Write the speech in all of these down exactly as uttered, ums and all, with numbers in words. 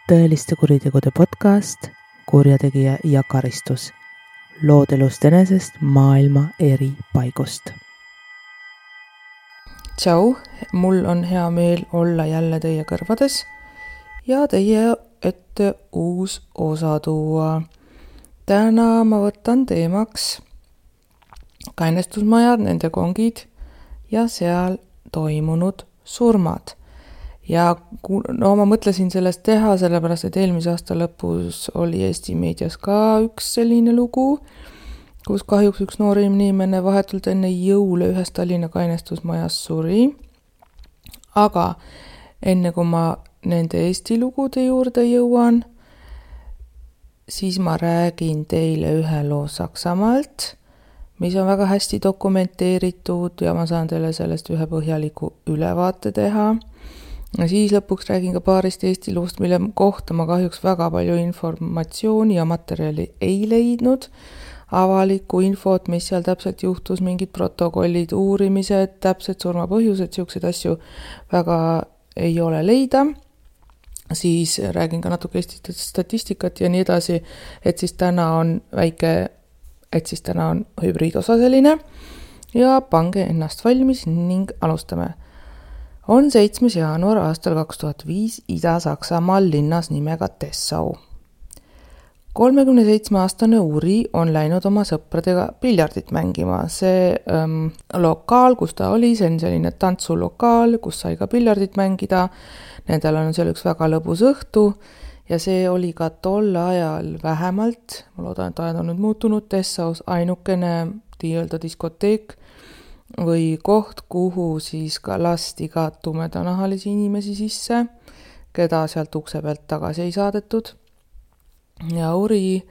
tõeliste kuritegude podcast Kurjategija ja karistus. Lood elust enesest maailma eri paigust. Tšau, mul on hea meel olla jälle teie kõrvades ja teie ette uus osa tuua. Täna ma võtan teemaks kainestusmajad, nende kongid ja seal toimunud surmad. Ja no ma mõtlesin sellest teha, sellepärast et eelmise aasta lõpus oli Eesti meedias ka üks selline lugu, kus kahjuks üks noor inimene vahetult enne jõule ühes Tallinna kainestusmajas suri. Aga enne kui ma nende Eesti lugude juurde jõuan, siis ma räägin teile ühe loo Saksamaalt, mis on väga hästi dokumenteeritud ja ma saan teile sellest ühe põhjaliku ülevaate teha. Ja siis lõpuks räägin ka paarist Eesti loost, mille kohta ma kahjuks väga palju informatsiooni ja materjali ei leidnud. Avalikku infot, mis seal täpselt juhtus, mingid protokollid, uurimised, täpselt surmapõhjused, siukseid asju väga ei ole leida. Siis räägin ka natuke Eesti statistikat ja nii edasi, et siis täna on väike, et siis täna on hübriidosa selline ja pange ennast valmis ning alustame. On seitsmes jaanuar aastal kaks tuhat viis Ida-Saksamaal linnas nimega Dessau. kolmekümne seitsme aastane Uri on läinud oma sõpradega piljardit mängima. See ähm, lokaal, kus ta oli, see on selline tantsulokaal, kus sai ka piljardit mängida. Nendel on seal üks väga lõbus õhtu ja see oli ka tol ajal vähemalt, ma loodan, et ajad on nüüd muutunud, Dessaus ainukene tiiölda diskoteek või koht, kuhu siis ka lasti ka tumedanahalisi inimesi sisse, keda sealt ukse pealt tagasi ei saadetud. Ja Uri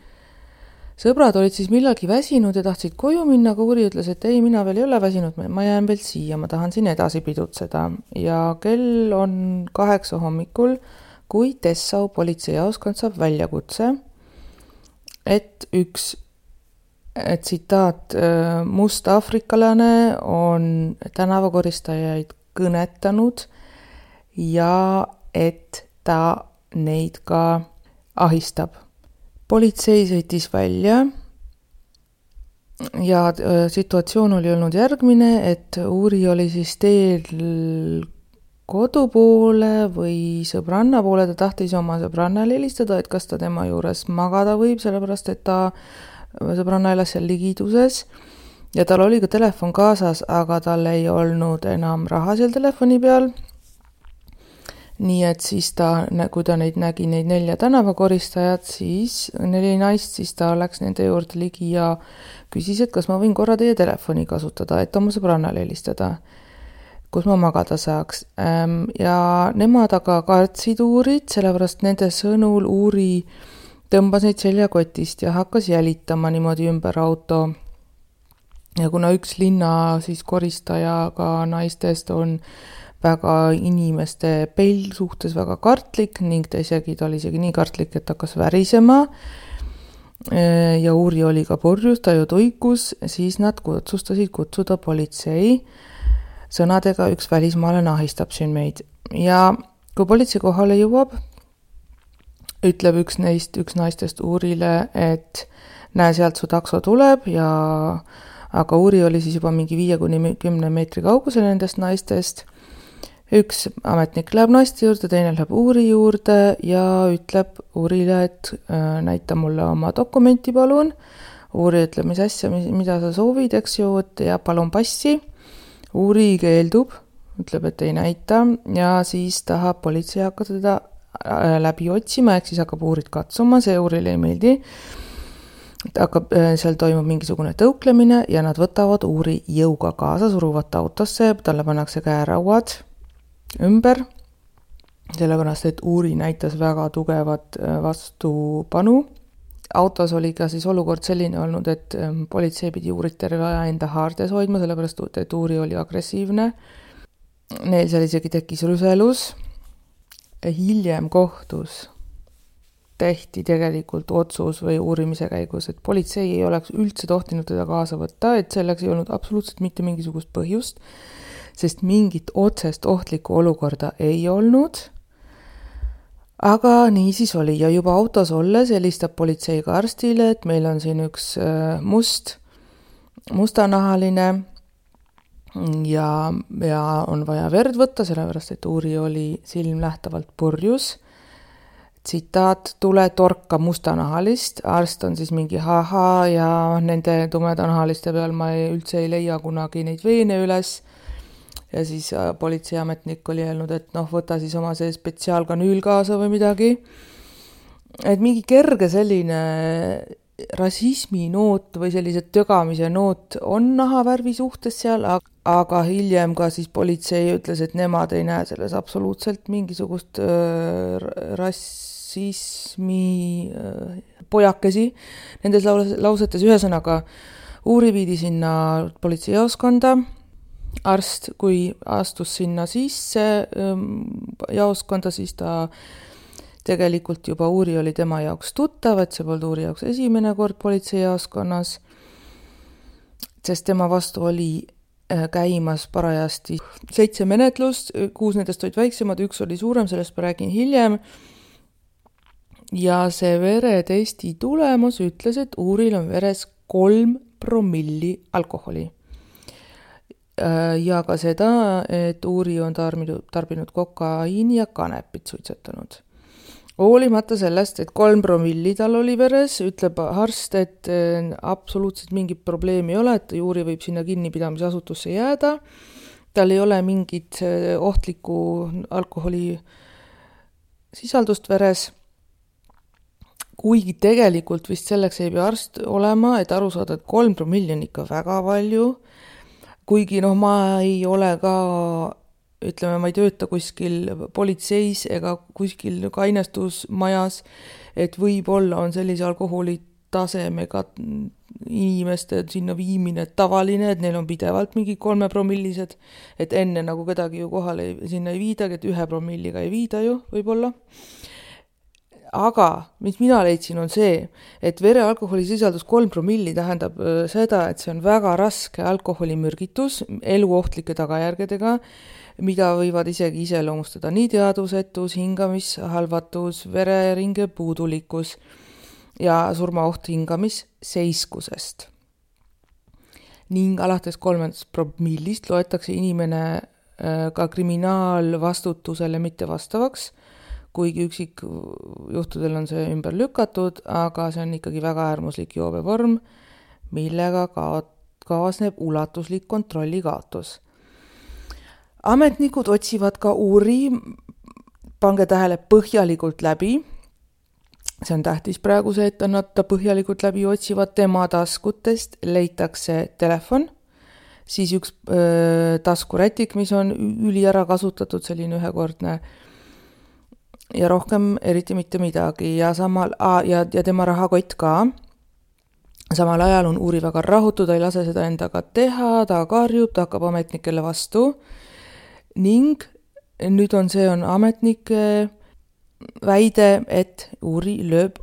sõbrad olid siis millalgi väsinud ja tahtsid koju minna, aga Uri ütles, et ei, mina veel ei ole väsinud, ma jään veel siia, ma tahan siin edasi pidutseda. Ja kell on kaheksa hommikul, kui Dessau politseijaoskond saab väljakutse, et üks et tsitaat, must afrikalane on tänavakoristajaid kõnetanud ja et ta neid ka ahistab. Politsei sõitis välja ja situatsioon oli olnud järgmine, et Uri oli siis teel kodu poole või sõbranna poole, ta tahtis oma sõbrannale helistada, et kas ta tema juures magada võib, sellepärast et ta sõbranna elas seal ligiduses ja tal oli ka telefon kaasas, aga tal ei olnud enam raha seal telefoni peal. Nii et siis ta, kui ta neid nägi, neid nelja tänavakoristajat, siis neli naist, siis ta läks nende juurde ligi ja küsis, et kas ma võin korra teie telefoni kasutada, et oma sõbrannale helistada, kus ma magada saaks. Ja nemad aga kartsid Uurit, sellepärast nende sõnul Uuri tõmbas neid seljakotist ja hakkas jälitama niimoodi ümber auto. Ja kuna üks linna siis koristaja ka naistest on väga inimeste peil suhtes väga kartlik ning ta isegi, ta oli isegi nii kartlik, et hakkas värisema ja Uri oli ka purjus, ta ju toikus, siis nad otsustasid kutsuda politsei sõnadega üks välismaalane ahistab siin meid. Ja kui politsei kohale jõuab, ütleb üks neist, üks naistest Uurile, et näe, sealt su takso tuleb ja aga Uuri oli siis juba mingi viie kuni kümne meetri kaugusel nendest naistest. Üks ametnik läheb naiste juurde, teine läheb Uuri juurde ja ütleb Uurile, et äh, näita mulle oma dokumenti palun. Uuri ütleb, mis asja, mida sa soovid, eks ju, ja palun passi. Uuri keeldub, ütleb, et ei näita ja siis tahab politsei hakata teda läbi otsima, ehk siis hakkab Uurit katsuma, see Uurile ei meeldi. Hakkab, seal toimub mingisugune tõuklemine ja nad võtavad Uuri jõuga kaasa, suruvat autosse, talle pannakse käerauad ümber, sellepärast, et Uuri näitas väga tugevat vastupanu. Autos oli ka siis olukord selline olnud, et politsei pidi Uurit terve aja enda haardes hoidma, sellepärast, et Uuri oli agressiivne. Neil seal isegi tekkis rüselus. Hiljem kohtus tehti tegelikult otsus või uurimise käigus, et politsei ei oleks üldse tohtinud teda kaasa võtta, et selleks ei olnud absoluutselt mitte mingisugust põhjust, sest mingit otsest ohtlikku olukorda ei olnud. aga nii siis oli ja juba autos olles helistab politseiga arstile, et meil on siin üks must, mustanahaline ja, ja on vaja verd võtta, sellepärast et Uuri oli silmnähtavalt purjus. Tsitaat, tule torka mustanahalist, arst on siis mingi haha ja nende tumedanahaliste peal ma ei, üldse ei leia kunagi neid veene üles. Ja siis politseiametnik oli öelnud, et noh, võta siis oma see spetsiaalkanüül kaasa või midagi. Et mingi kerge selline rasismi noot või sellise tögamise noot on nahavärvi suhtes seal, aga hiljem ka siis politsei ütles, et nemad ei näe selles absoluutselt mingisugust äh, rassismi äh, pojakesi nendes lausetes. Ühesõnaga, Uuri viidi sinna politseijaoskonda. Arst, kui astus sinna sisse jaoskonda, siis ta tegelikult juba Uuri oli tema jaoks tuttav, et see polnud Uuri jaoks esimene kord politseijaoskonnas, sest tema vastu oli käimas parajasti seitse menetlust, kuus nendest olid väiksemad, üks oli suurem, sellest ma räägin hiljem. Ja see veretesti tulemus ütles, et Uuril on veres kolm promilli alkoholi. Ja ka seda, et Uuri on tarbinud, tarbinud kokaiini ja kanepit suitsetanud. Hoolimata sellest, et kolm promilli tal oli veres, ütleb arst, et absoluutselt mingit probleemi ei ole, et Uuri võib sinna kinnipidamisasutusse jääda. Tal ei ole mingit ohtlikku alkoholi sisaldust veres. Kuigi tegelikult vist selleks ei pea arst olema, et aru saada, et kolm promilli on ikka väga palju. Kuigi noh, ma ei ole ka, ütleme, ma ei tööta kuskil politseis ega kuskil kainestusmajas, et võib-olla on sellise alkoholitasemega inimeste sinna viimine tavaline, et neil on pidevalt mingi kolme promillised, et enne nagu kedagi ju kohale sinna ei viidagi, et ühe promilliga ei viida ju võib-olla. Aga mis mina leidsin on see, et vere alkoholi sisaldus kolm promilli tähendab seda, et see on väga raske alkoholimürgitus eluohtlike tagajärgedega, mida võivad isegi iseloomustada nii teadvusetus, hingamishalvatus, vereringe puudulikkus ja surmaoht hingamisseiskusest. Ning alates kolmandast promillist loetakse inimene ka kriminaalvastutusele mitte vastavaks, kuigi üksik juhtudel on see ümber lükatud, aga see on ikkagi väga äärmuslik joobevorm, millega kaasneb ulatuslik kontrollikaotus. Ametnikud otsivad ka Uuri, pange tähele, põhjalikult läbi. See on tähtis praegu see, et nad põhjalikult läbi otsivad tema taskutest, leitakse telefon, siis üks öö, taskurätik, mis on üli ära kasutatud, selline ühekordne ja rohkem eriti mitte midagi ja, samal, ja, ja tema rahakott ka. Samal ajal on Uuri väga rahutu, ta ei lase seda endaga teha, ta karjub, ta hakkab ametnikele vastu ning nüüd on see on ametnike väide, et Uuri lööb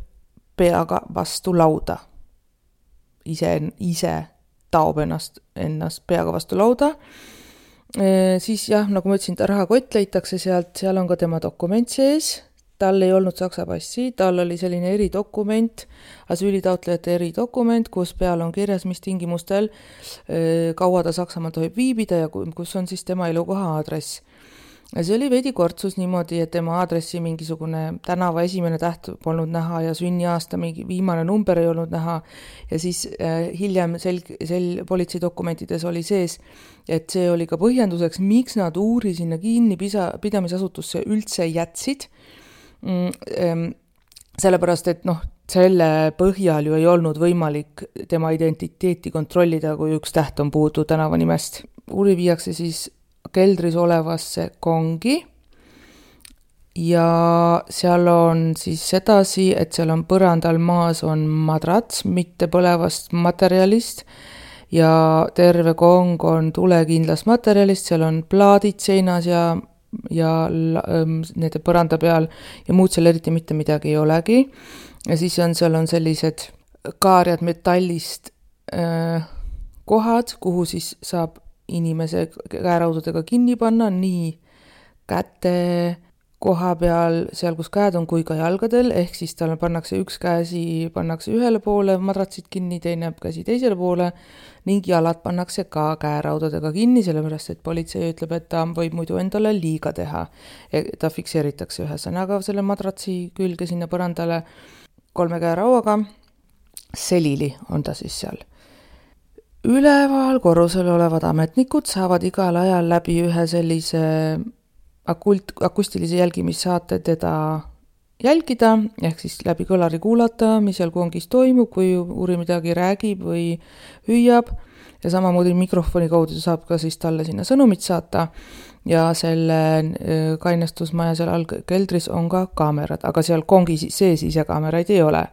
peaga vastu lauda. Ise, ise taob ennast, ennast peaga vastu lauda. E, siis jah, nagu ma ütlesin, ta rahakott leitakse sealt, seal on ka tema dokument sees, tal ei olnud saksa passi, tal oli selline eridokument, asüülitaotlejate eridokument, kus peal on kirjas, mis tingimustel e, kaua ta Saksamaal tohib viibida ja kus on siis tema elukoha aadress. Ja see oli veidi kortsus niimoodi, et tema aadressi mingisugune tänava esimene täht polnud näha ja sünniaasta mingi viimane number ei olnud näha ja siis äh, hiljem sel, sel politseidokumentides oli sees, et see oli ka põhjenduseks, miks nad Uuri sinna kinni pisa, pidamisasutusse üldse jätsid, mm, sellepärast, et noh, selle põhjal ju ei olnud võimalik tema identiteeti kontrollida, kui üks täht on puudu tänava nimest. Uuri viiakse siis keldris olevasse kongi ja seal on siis sedasi, et seal on põrandal maas on madrats, mitte põlevast materjalist ja terve kong on tulekindlast materjalist, seal on plaadid seinas ja, ja nende põranda peal ja muud seal eriti mitte midagi ei olegi. Ja siis on, seal on sellised kaarjad metallist äh, kohad, kuhu siis saab inimese käeraudadega kinni panna, nii käte, koha peal, seal kus käed on, kui ka jalgadel, ehk siis tal pannakse üks käsi, pannakse ühele poole madratsid kinni, teine käsi teisele poole ning jalad pannakse ka käeraudadega kinni, sellepärast et politsei ütleb, et ta võib muidu endale liiga teha. Ta fikseeritakse ühesõnaga selle madratsi külge sinna põrandale kolme käerauaga, selili on ta siis seal. Üleval korrusel olevad ametnikud saavad igal ajal läbi ühe sellise akult, akustilise jälgimissaate teda jälgida, ehk siis läbi kõlari kuulata, mis seal kongis toimub, kui uuri midagi räägib või hüüab, ja samamoodi mikrofoni kaudu saab ka siis talle sinna sõnumit saata, ja selle kainestusmaja seal all keldris on ka kaamerad, aga seal kongi sees ise kaameraid ei ole.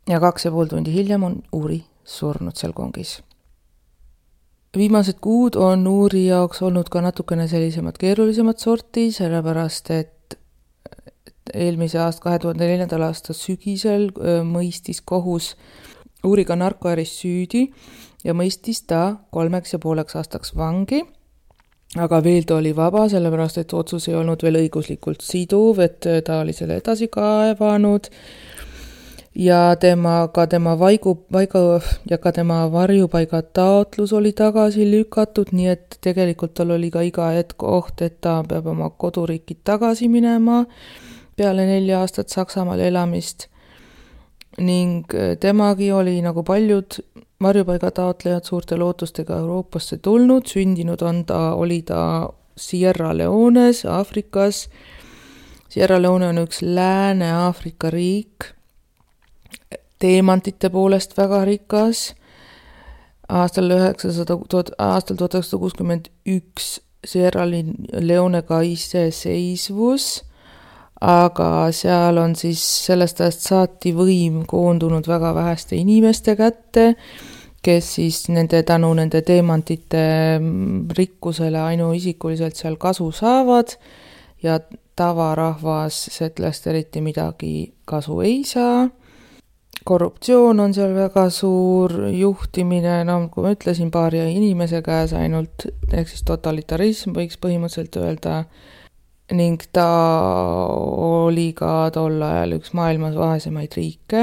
Ja kaks ja pool tundi hiljem on uuri surnud seal kongis. Viimased kuud on uuri jaoks olnud ka natukene sellisemad keerulisemad sorti, sellepärast et eelmise aasta, kahe tuhande neljandal aasta sügisel mõistis kohus uuriga narkoäris süüdi ja mõistis ta kolmeks ja pooleks aastaks vangi, aga veel ta oli vaba, sellepärast et otsus ei olnud veel õiguslikult siduv, et ta oli selle edasi kaevanud ja tema, ka tema vaigu, vaiga ja ka tema varjupaiga taotlus oli tagasi lükatud, nii et tegelikult tal oli ka iga hetk oht, et ta peab oma koduriiki tagasi minema peale nelja aastat Saksamaal elamist. Ning temagi oli nagu paljud varjupaiga taotlejad suurte lootustega Euroopasse tulnud, sündinud on ta, oli ta Sierra Leones, Aafrikas. Sierra Leone on üks Lääne-Aafrika riik, teemantite poolest väga rikas. Aastal üheksasada, aastal tuhat üheksasada kuuskümmend üks Sierra Leone ka iseseisvus, aga seal on siis sellest ajast saati võim koondunud väga väheste inimeste kätte, kes siis nende tänu nende teemantite rikkusele ainuisikuliselt seal kasu saavad ja tavarahvas sellest eriti midagi kasu ei saa. Korruptsioon on seal väga suur, juhtimine, no kui ma ütlesin, paari inimese käes ainult, ehk siis totalitarism võiks põhimõtteliselt öelda, ning ta oli ka tol ajal üks maailmas vaesemaid riike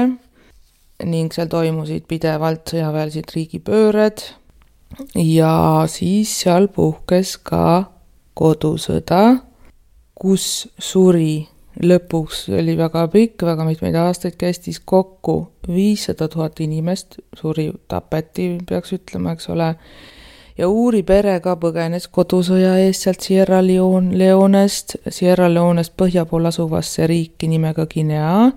ning seal toimusid pidevalt sõjaväelised riigipööred ja siis seal puhkes ka kodusõda, kus suri lõpuks oli väga pikk, väga mitmeid aastaid kestis kokku viissada tuhat inimest, suri tapeti, peaks ütlema, eks ole. Ja uuri pere ka põgenes kodusõja eest sealt Sierra Leonest, Sierra Leonest põhja pool asuvasse riiki nimega Guinea.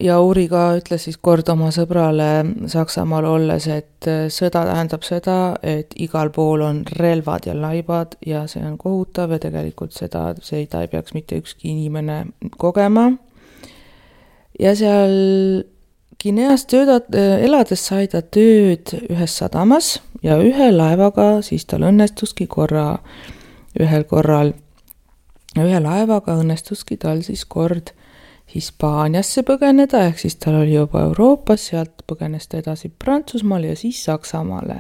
Ja uuri ka ütles siis kord oma sõbrale Saksamaal olles, et sõda tähendab seda, et igal pool on relvad ja laibad ja see on kohutav ja tegelikult seda, seda ei peaks mitte ükski inimene kogema. Ja seal Guineas töödat, elades sai ta tööd ühes sadamas ja ühe laevaga siis tal õnnestuski korra, ühel korral, ühe laevaga õnnestuski tal siis kord Hispaaniasse põgeneda, ehk siis tal oli juba Euroopas, sealt põgenes ta edasi Prantsusmaale ja siis Saksamaale.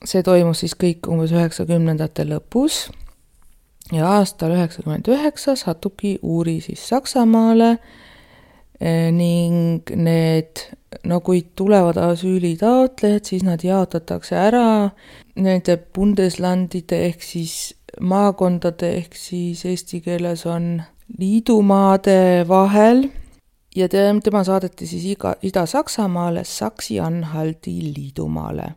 See toimus siis kõik umbes üheksakümnendate lõpus ja aastal üheksakümmend üheksa satubki uuri siis Saksamaale ning need, no kui tulevad asüülitaotlejad, siis nad jaotatakse ära nende bundeslandide ehk siis maakondade ehk siis eesti keeles on liidumaade vahel ja tema saadeti siis iga, Ida-Saksamaale Saksi-Anhalti liidumaale.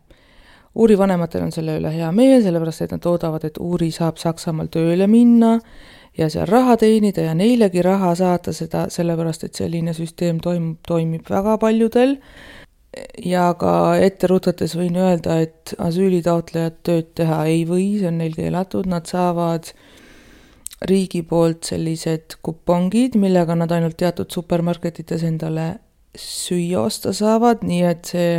Uuri vanematel on selle üle hea meel, sellepärast et nad oodavad, et uuri saab Saksamaal tööle minna ja seal raha teenida ja neilegi raha saata seda, sellepärast et selline süsteem toimub, toimib väga paljudel. Ja ka ette rutates võin öelda, et asüülitaotlejad tööd teha ei või, see on neil keelatud, nad saavad riigi poolt sellised kupongid, millega nad ainult teatud supermarketites endale süüa osta saavad, nii et see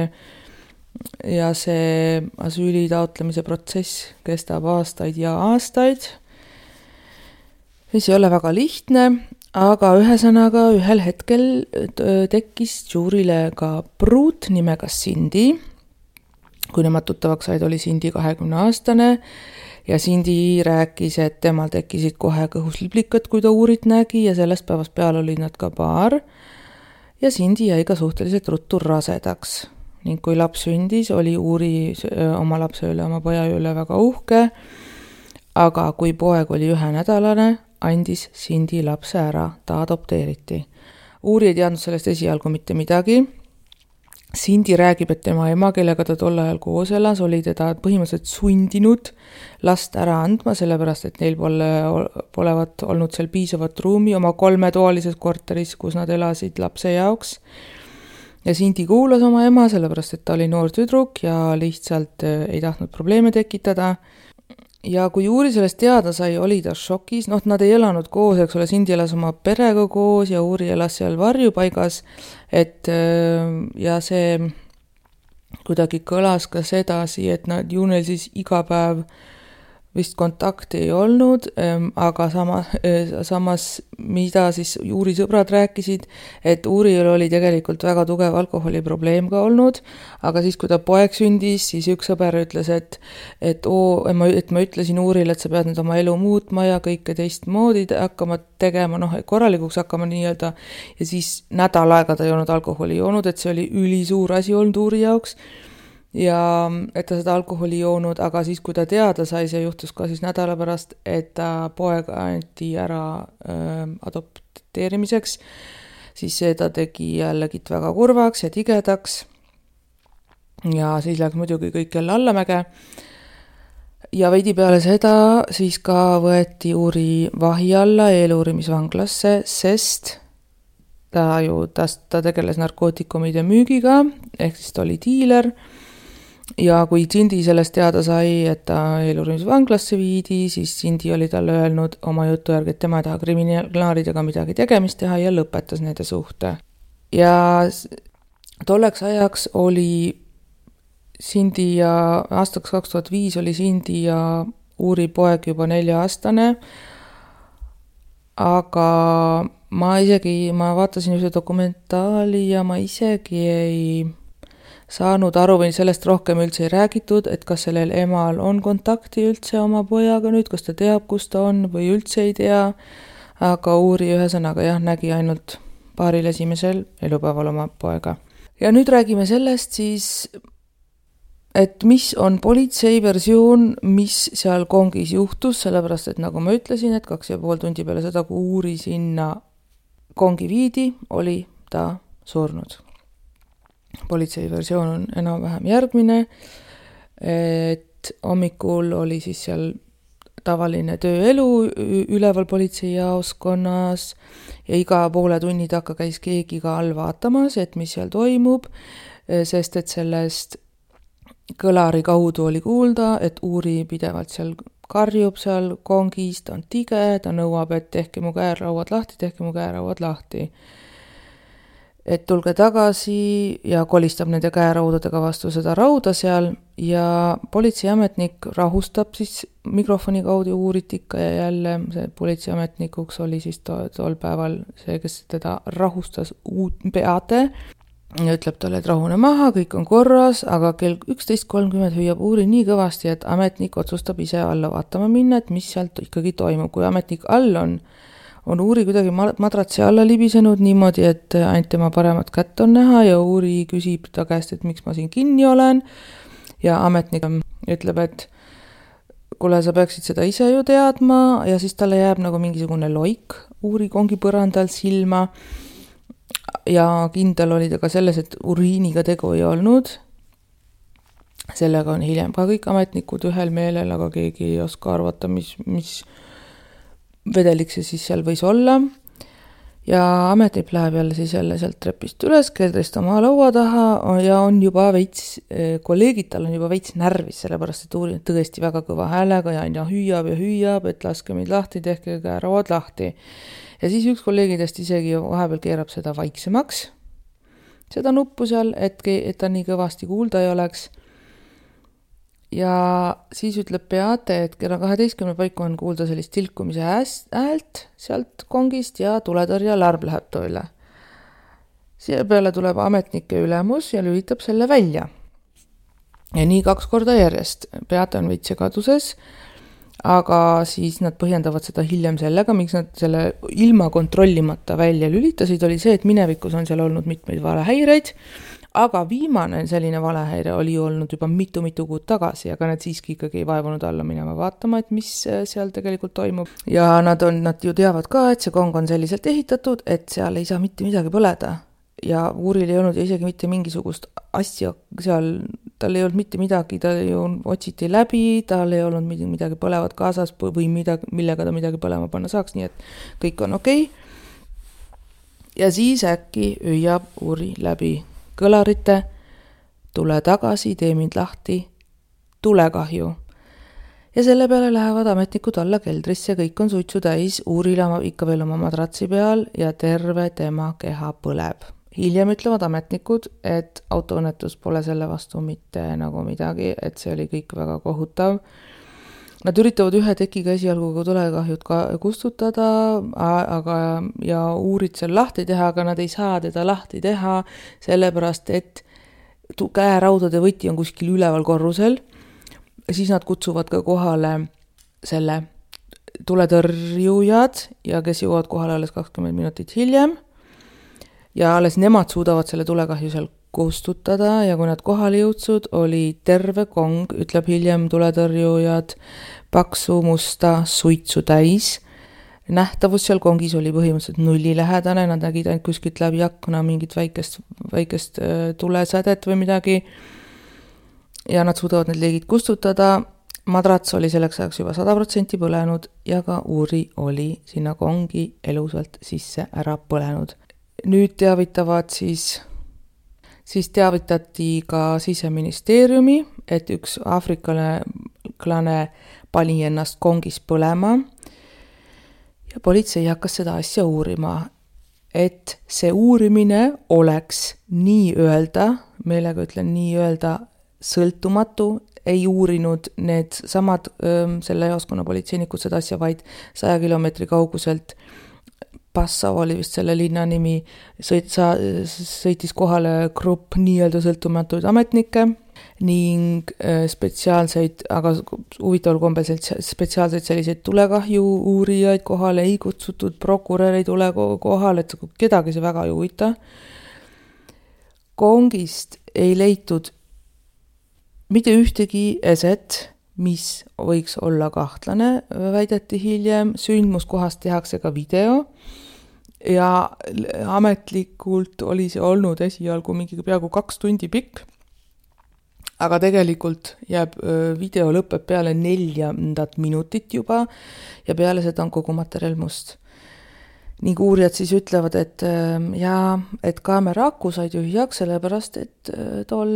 ja see asüüli taotlemise protsess kestab aastaid ja aastaid. See ei ole väga lihtne, aga ühesõnaga ühel hetkel tekkis Jurile ka pruut nimega Cindy. Kui nemad tuttavaks said, oli Cindy kahekümne aastane ja Sindi rääkis, et temal tekkisid kohe kõhusliblikud, kui ta Uurit nägi ja sellest päevast peale olid nad ka paar ja Sindi jäi ka suhteliselt ruttu rasedaks ning kui laps sündis, oli Uuri oma lapse üle, oma poja üle väga uhke, aga kui poeg oli ühenädalane, andis Sindi lapse ära, ta adopteeriti. Uuri ei teadnud sellest esialgu mitte midagi. Sindi räägib, et tema ema, kellega ta tol ajal koos elas, oli teda põhimõtteliselt sundinud last ära andma, sellepärast, et neil pole, polevat olnud seal piisavat ruumi oma kolmetoalises korteris, kus nad elasid lapse jaoks. Ja Sindi kuulas oma ema, sellepärast, et ta oli noor tüdruk ja lihtsalt ei tahtnud probleeme tekitada. Ja kui Uuri sellest teada sai, oli ta šokis, noh, nad ei elanud koos, eks ole, Sindi elas oma perega koos ja Uuri elas seal varjupaigas, et ja see kuidagi kõlas ka sedasi, et nad ju neil siis iga päev vist kontakti ei olnud, aga sama, samas mida siis Uuri sõbrad rääkisid, et Uuril oli tegelikult väga tugev alkoholiprobleem ka olnud, aga siis, kui ta poeg sündis, siis üks sõber ütles, et, et, oo, et ma ütlesin Uurile, et sa pead nüüd oma elu muutma ja kõike teistmoodi hakkama tegema, noh, korralikuks hakkama nii-öelda, ja siis nädal aega ta ei olnud alkoholi joonud, et see oli ülisuur asi olnud Uuri jaoks, ja et ta seda alkoholi joonud, aga siis, kui ta teada sai, see juhtus ka siis nädala pärast, et ta poeg anti ära äh, adopteerimiseks, siis see ta tegi jällegi väga kurvaks ja tigedaks ja siis läks muidugi kõik jälle allamäge ja veidi peale seda siis ka võeti Uuri vahi alla eeluurimisvanglasse, sest ta ju, ta, ta tegeles narkootikumide müügiga, ehk siis ta oli diiler. Ja kui Sindi sellest teada sai, et ta eeluurimisvanglasse viidi, siis Sindi oli talle öelnud oma jutu järgi, et tema ei taha kriminaalidega midagi tegemist teha ja lõpetas nende suhte. Ja tolleks ajaks oli Sindi ja aastaks kaks tuhat viis oli Sindi ja Uuri poeg juba nelja-aastane, aga ma isegi, ma vaatasin ühe dokumentaali ja ma isegi ei saanud aru või sellest rohkem üldse ei räägitud, et kas sellel emal on kontakti üldse oma pojaga nüüd, kas ta teab, kus ta on või üldse ei tea, aga Uuri ühesõnaga jah, nägi ainult paaril esimesel elupäeval oma poega. Ja nüüd räägime sellest siis, et mis on politsei versioon, mis seal kongis juhtus, sellepärast, et nagu ma ütlesin, et kaks ja pool tundi peale seda, kui Uuri sinna kongi viidi, oli ta surnud. Politsei versioon on enam-vähem järgmine, et hommikul oli siis seal tavaline tööelu üleval politsei jaoskonnas ja iga poole tunni takka käis keegi ka all vaatamas, et mis seal toimub, sest et sellest kõlari kaudu oli kuulda, et Uuri pidevalt seal karjub seal kongis, ta on tige, ta nõuab, et tehke mu käerauad lahti, tehke mu käerauad lahti. Et tulge tagasi ja kolistab nende käeraudadega vastu seda rauda seal ja politseiametnik rahustab siis mikrofoni kaudu Uurit ikka ja jälle see politseiametnikuks oli siis to, tol päeval see, kes teda rahustas uut peade ja ütleb talle, et rahune maha, kõik on korras, aga kell üksteist kolmkümmend hüüab Uuri nii kõvasti, et ametnik otsustab ise alla vaatama minna, et mis sealt ikkagi toimub, kui ametnik all on on Uuri kuidagi madratsi alla libisenud niimoodi, et ainult tema paremat kätt on näha ja Uuri küsib ta käest, et miks ma siin kinni olen ja ametnik ütleb, et kuule, sa peaksid seda ise ju teadma ja siis talle jääb nagu mingisugune loik Uuri kongi põrandal silma ja kindel oli ta ka selles, et uriiniga tegu ei olnud. Sellega on hiljem ka kõik ametnikud ühel meelel, aga keegi ei oska arvata, mis, mis vedelik see siis seal võis olla ja ametnik läheb jälle siis jälle sealt trepist üles, keldrist oma laua taha ja on juba veits, kolleegid tal on juba veits närvis, sellepärast et Uuri on tõesti väga kõva häälega ja aina hüüab ja hüüab, et laske meid lahti, tehke käerauad lahti. Ja siis üks kolleegidest isegi vahepeal keerab seda vaiksemaks, seda nuppu seal, et, et ta nii kõvasti kuulda ei oleks. Ja siis ütleb Beate, et kella kaheteistkümne paiku on kuulda sellist tilkumise häält sealt kongist ja tuletõrja alarm läheb tööle. Siia peale tuleb ametnike ülemus ja lülitab selle välja. Ja nii kaks korda järjest. Beate on veits segaduses aga siis nad põhjendavad seda hiljem sellega, miks nad selle ilma kontrollimata välja lülitasid, oli see, et minevikus on seal olnud mitmeid valehäireid, aga viimane selline valehäire oli olnud juba mitu-mitu kuud tagasi, aga nad siiski ikkagi ei vaevunud alla minema vaatama, et mis seal tegelikult toimub. Ja nad, on, nad ju teavad ka, et see kong on selliselt ehitatud, et seal ei saa mitte midagi põleda. Ja Uuril ei olnud isegi mitte mingisugust asja seal, tal ei olnud mitte midagi, ta ju otsiti läbi, tal ei olnud midagi põlevat kaasas või midagi, millega ta midagi põlema panna saaks, nii et kõik on okei. Ja siis äkki hüüab Uuri läbi kõlarite, tule tagasi, tee mind lahti, tulekahju. Ja selle peale lähevad ametnikud alla keldrisse, kõik on suitsu täis, Uuril ikka veel oma madratsi peal ja terve tema keha põleb. Hiljem ütlevad ametnikud, et autoõnnetus pole selle vastu mitte nagu midagi, et see oli kõik väga kohutav. Nad üritavad ühe tekiga esialgu ka tulekahjud ka kustutada, aga, ja Uurid seal lahti teha, aga nad ei saa teda lahti teha, sellepärast et käeraudade võti on kuskil üleval korrusel. Siis nad kutsuvad ka kohale selle tuletõrjujad, ja kes jõuavad kohale alles kakskümmend minutit hiljem. Ja alles nemad suudavad selle tulekahju seal kustutada ja kui nad kohale jõudsud, oli terve kong, ütleb hiljem tuletõrjujad, paksu musta suitsu täis. Nähtavus seal kongis oli põhimõtteliselt nulli lähedane, nad nägid ainult kuskilt läbi akna mingit väikest, väikest tulesädet või midagi. Ja nad suudavad need leegid kustutada. Madrats oli selleks ajaks juba sada protsenti põlenud ja ka Uuri oli sinna kongi elusalt sisse ära põlenud. Nüüd teavitavad siis, siis teavitati ka Siseministeeriumi, et üks aafriklane pani ennast kongis põlema ja politsei hakkas seda asja uurima, et see uurimine oleks nii öelda, meelega ütlen nii öelda, sõltumatu, ei uurinud need samad öö, selle jaoskonna politseinikud seda asja vaid saja kilomeetri kauguselt. Passau oli vist selle linna nimi, sõit, sa, sõitis kohale grupp nii-öelda sõltumatuid ametnikke ning spetsiaalseid, aga huvitaval kombel spetsiaalseid selliseid tulekahju uurijaid kohale ei kutsutud, prokurör ei tule kohale, et kedagi see väga ei huvita. Kongist ei leitud mitte ühtegi eset, mis võiks olla kahtlane, väideti hiljem, sündmuskohast tehakse ka video ja ametlikult oli see olnud esialgu mingi peaaegu kaks tundi pikk, aga tegelikult jääb video lõpeb peale neljandat minutit juba ja peale seda on kogu materjal must. Ning uurijad siis ütlevad, et, ja, et kaamera aku said ju heaks, sellepärast, et tol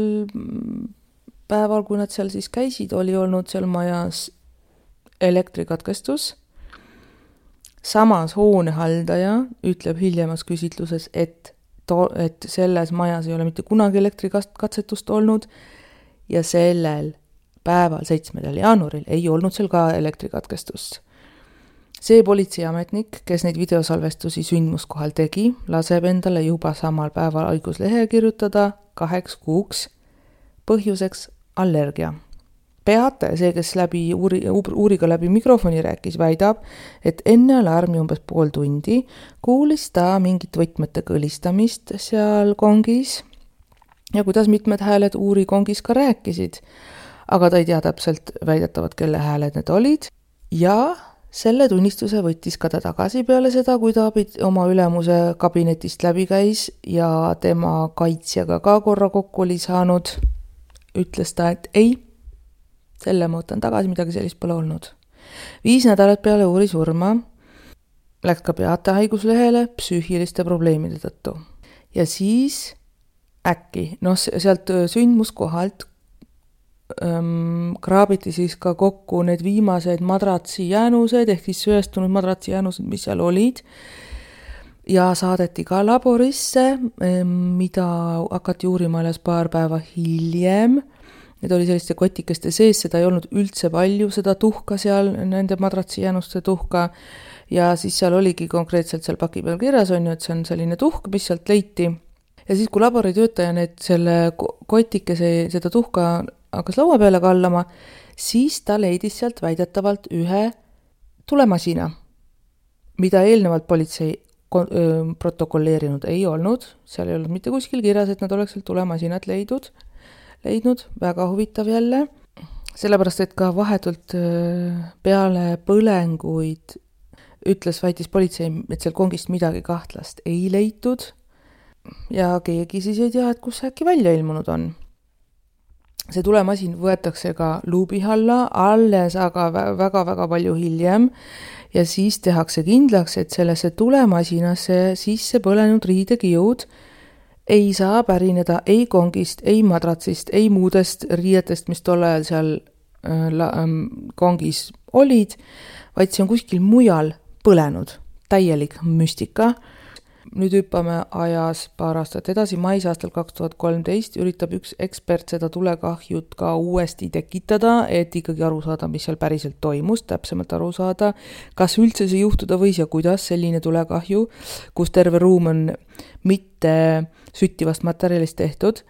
päeval, kui nad seal siis käisid, oli olnud seal majas elektrikatkestus. Samas hoonehaldaja ütleb hiljemas küsitluses, et, to, et selles majas ei ole mitte kunagi elektrikatsetust olnud ja sellel päeval, seitsmendal jaanuaril, ei olnud seal ka elektrikatkestust. See politseiametnik, kes neid videosalvestusi sündmuskohal tegi, laseb endale juba samal päeval haiguslehe kirjutada kaheks kuuks põhjuseks allergia. Peate, see, kes läbi uuri, uuriga läbi mikrofoni rääkis, väidab, et enne alarmi umbes pool tundi kuulis ta mingit võtmete kõlistamist seal kongis ja kuidas mitmed hääled uuri kongis ka rääkisid, aga ta ei tea täpselt väidetavad, kelle hääled need olid ja selle tunnistuse võttis ka ta tagasi peale seda, kui ta oma ülemuse kabinetist läbi käis ja tema kaitsjaga ka korra kokku oli saanud. Ütles ta, et ei, selle ma võtan tagasi, midagi sellist pole olnud. Viis nädalat peale uuri surma läks ka Beate haiguslehele psüühiliste probleemide tõttu. Ja siis äkki, noh sealt sündmuskohalt ähm, kraabiti siis ka kokku need viimased madratsi jäänused, ehk siis sööstunud madratsi jäänused, mis seal olid. Ja saadeti ka laborisse, mida hakati uurima alles paar päeva hiljem. Need oli selliste kotikeste sees, seda ei olnud üldse palju, seda tuhka seal, nende madratsi jäänuste tuhka. Ja siis seal oligi konkreetselt seal paki peal kirjas on ju, et see on selline tuhk, mis sealt leiti. Ja siis, kui laboritöötaja need selle kotikese, seda tuhka hakkas laua peale kallama, siis ta leidis sealt väidetavalt ühe tulemasina, mida eelnevalt politsei protokolleerinud ei olnud, seal ei olnud mitte kuskil kirjas, et nad oleks seal tulemasinat leidnud, leidnud, väga huvitav jälle, sellepärast, et ka vahetult peale põlenguid ütles, väitis politsei, et seal kongist midagi kahtlast ei leitud ja keegi siis ei tea, et kus see äkki välja ilmunud on. See tulemasin võetakse ka luubi alla, alles aga väga-väga palju hiljem ja siis tehakse kindlaks, et sellesse tulemasinasse sisse põlenud riidekijud ei saa pärineda ei kongist, ei madratsist, ei muudest riietest, mis tol ajal seal äh, kongis olid, vaid see on kuskil mujal põlenud. Täielik müstika. Nüüd hüppame ajas paar aastat edasi, mais aastal kaks tuhat kolmteist üritab üks ekspert seda tulekahjut ka uuesti tekitada, et ikkagi aru saada, mis seal päriselt toimus, täpsemalt aru saada, kas üldse see juhtuda võis ja kuidas selline tulekahju, kus terve ruum on mitte süttivast materjalist tehtud.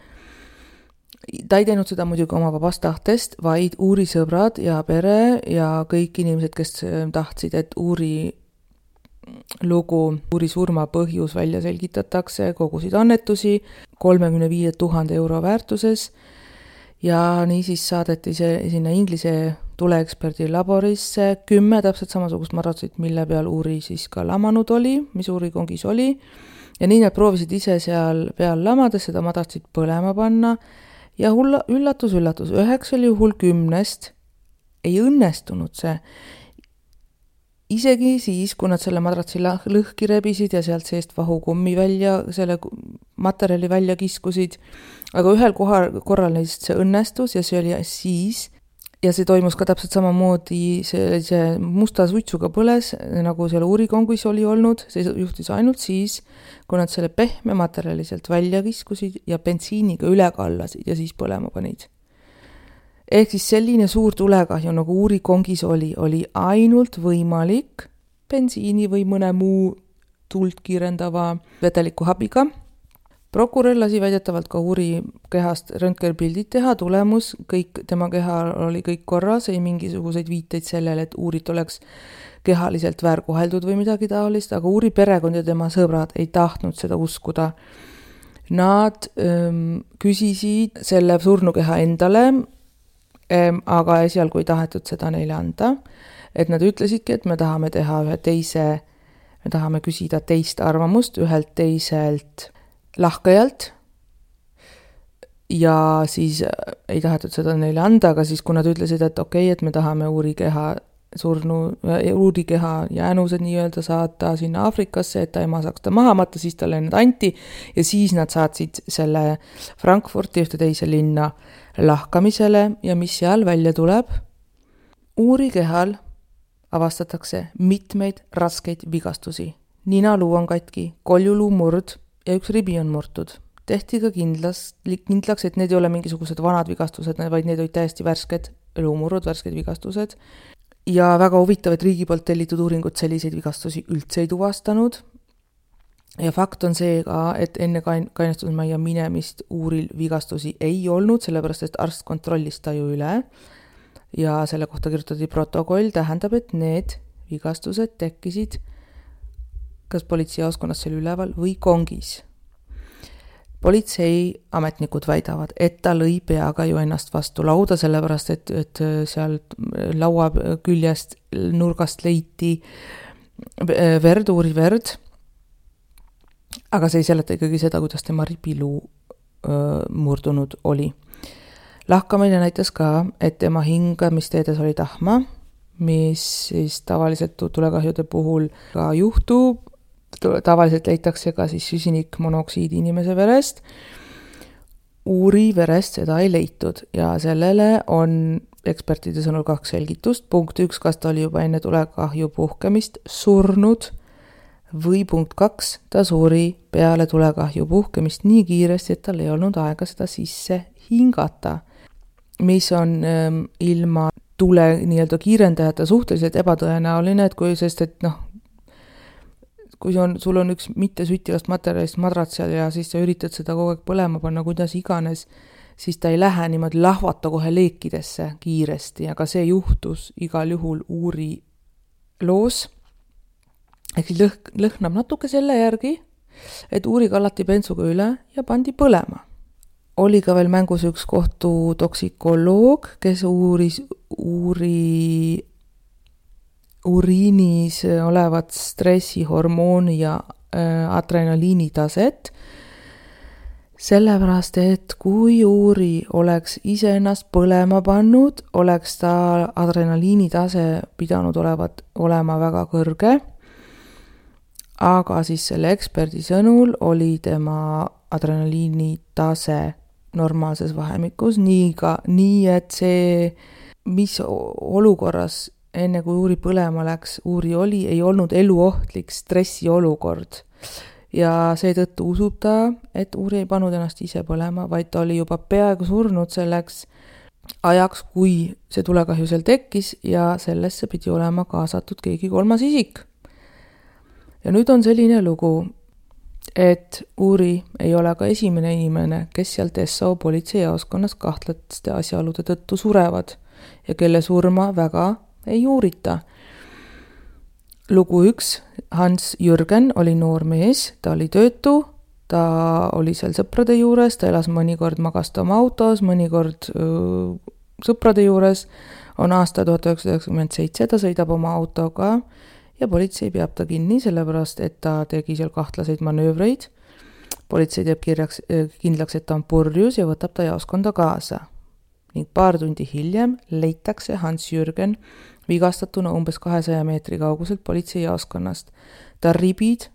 Ta ei teinud seda muidugi oma vabast tahtest, vaid Uuri sõbrad ja pere ja kõik inimesed, kes tahtsid, et Uuri lugu, Uuri surma põhjus välja selgitatakse, kogusid annetusi kolmekümne viie tuhande euro väärtuses ja niisiis saadeti see sinna Inglise tuleeksperdi laborisse kümme täpselt samasugust madratsit, mille peal Uuri siis ka lamanud oli, mis Uuri kongis oli ja nii nad proovisid ise seal peal lamades seda madratsit põlema panna ja hulla, üllatus, üllatus, üheksal juhul kümnest ei õnnestunud see. Isegi siis, kui nad selle madratsi lõhki rebisid ja sealt seest vahukummi välja, selle materjali välja kiskusid, aga ühel kohal, korral neist see õnnestus ja see oli siis, ja see toimus ka täpselt samamoodi, see, see musta suitsuga põles, nagu seal Uuri kongis oli olnud, see juhtus ainult siis, kui nad selle pehme materjali sealt välja kiskusid ja bensiiniga üle kallasid ja siis põlema panid. Ehk siis selline suur tulekahju, nagu Uuri kongis oli, oli ainult võimalik bensiini või mõne muu tuld kiirendava vedeliku habiga. Prokurör lasi väidetavalt ka Uuri kehast röntgenpildid teha, tulemus, kõik tema keha oli kõik korras, ei mingisuguseid viiteid sellele, et Uurit oleks kehaliselt väärkoheldud või midagi taolist, aga Uuri perekond ja tema sõbrad ei tahtnud seda uskuda. Nad ähm, küsisid selle surnukeha endale, aga esialgu ei tahetud seda neile anda, et nad ütlesidki, et me tahame teha ühe teise, me tahame küsida teist arvamust ühelt teiselt lahkajalt ja siis ei tahetud seda neile anda, aga siis kui nad ütlesid, et okei, okay, et me tahame Uuri keha surnu, Uuri keha jäänused nii-öelda saata sinna Aafrikasse, et ta ema saaks ta maha matta, siis talle need anti ja siis nad saatsid selle Frankfurti ühte teise linna lahkamisele ja mis seal välja tuleb? Uuri kehal avastatakse mitmeid raskeid vigastusi. Ninaluu on katki, koljuluu murd ja üks ribi on murtud. Tehti ka kindlas, kindlaks, et need ei ole mingisugused vanad vigastused, vaid need olid täiesti värsked luumurud, värsked vigastused. Ja väga huvitav, et riigi poolt tellitud uuringut selliseid vigastusi üldse ei tuvastanud. Ja fakt on see ka, et enne kainestusmajja minemist Uuril vigastusi ei olnud, sellepärast et arst kontrollis ta ju üle ja selle kohta kirjutati protokoll, tähendab, et need vigastused tekkisid kas politseijaoskonnas seal üleval või kongis. Politsei ametnikud väidavad, et ta lõi peaga ju ennast vastu lauda, sellepärast et, et seal laua küljest nurgast leiti verd, Uuri verd, aga see ei seleta ikkagi seda, kuidas tema ripiluu öö, murdunud oli. Lahkamine näitas ka, et tema hingamisteedes oli tahma, mis siis tavaliselt tulekahjude puhul ka juhtub. Tavaliselt leitakse ka siis süsinikmonoksiidi inimese verest. Uuri verest seda ei leitud ja sellele on ekspertide sõnul kaks selgitust. Punkt üks, kas ta oli juba enne tulekahju puhkemist surnud või punkt kaks, ta suri peale tulekahju puhkemist nii kiiresti, et tal ei olnud aega seda sisse hingata, mis on ähm, ilma tule nii-öelda kiirendajate suhteliselt ebatõenäoline, et kui, sest et noh, kui on, sul on üks mitte süttivast materjalist madrats ja siis sa üritad seda kogu aeg põlema panna, kuidas iganes, siis ta ei lähe niimoodi lahvata kohe leekidesse kiiresti, aga see juhtus igal juhul Uuri loos. Ehk lõh- lõhnab natuke selle järgi, et Uuri kallati bensuga üle ja pandi põlema. Oli ka veel mängus üks kohtutoksikoloog, kes uuris Uuri uriinis olevat stressihormooni ja adrenaliini taset, sellepärast, et kui Uuri oleks ise ennast põlema pannud, oleks ta adrenaliini tase pidanud olevat, olema väga kõrge, aga siis selle eksperdi sõnul oli tema adrenaliini tase normaalses vahemikus, nii, ka, nii et see, mis olukorras enne kui Uuri põlema läks, Uuri oli, ei olnud eluohtlik stressiolukord. Ja seetõttu usub ta, et Uuri ei pannud ennast ise põlema, vaid ta oli juba peaaegu surnud selleks ajaks, kui see tulekahju seal tekkis ja sellesse pidi olema kaasatud keegi kolmas isik. Ja nüüd on selline lugu, et Uuri ei ole ka esimene inimene, kes seal Dessau politseijaoskonnas kahtlaste asjaolude tõttu surevad ja kelle surma väga ei uurita. Lugu üks, Hans Jürgen oli noor mees, ta oli töötu, ta oli seal sõprade juures, ta elas mõnikord magast oma autos, mõnikord öö, sõprade juures, on aasta tuhat üheksasada üheksakümmend seitse, ta sõidab oma autoga ja politsei peab ta kinni, sellepärast, et ta tegi seal kahtlaseid manöövreid. Politsei teeb kirjaks, kindlaks, et ta on purjus ja võtab ta jaoskonda kaasa. Ning paar tundi hiljem leitakse Hans Jürgen vigastatuna umbes kahesaja meetri kauguselt politsei jaoskonnast. Ta ribid,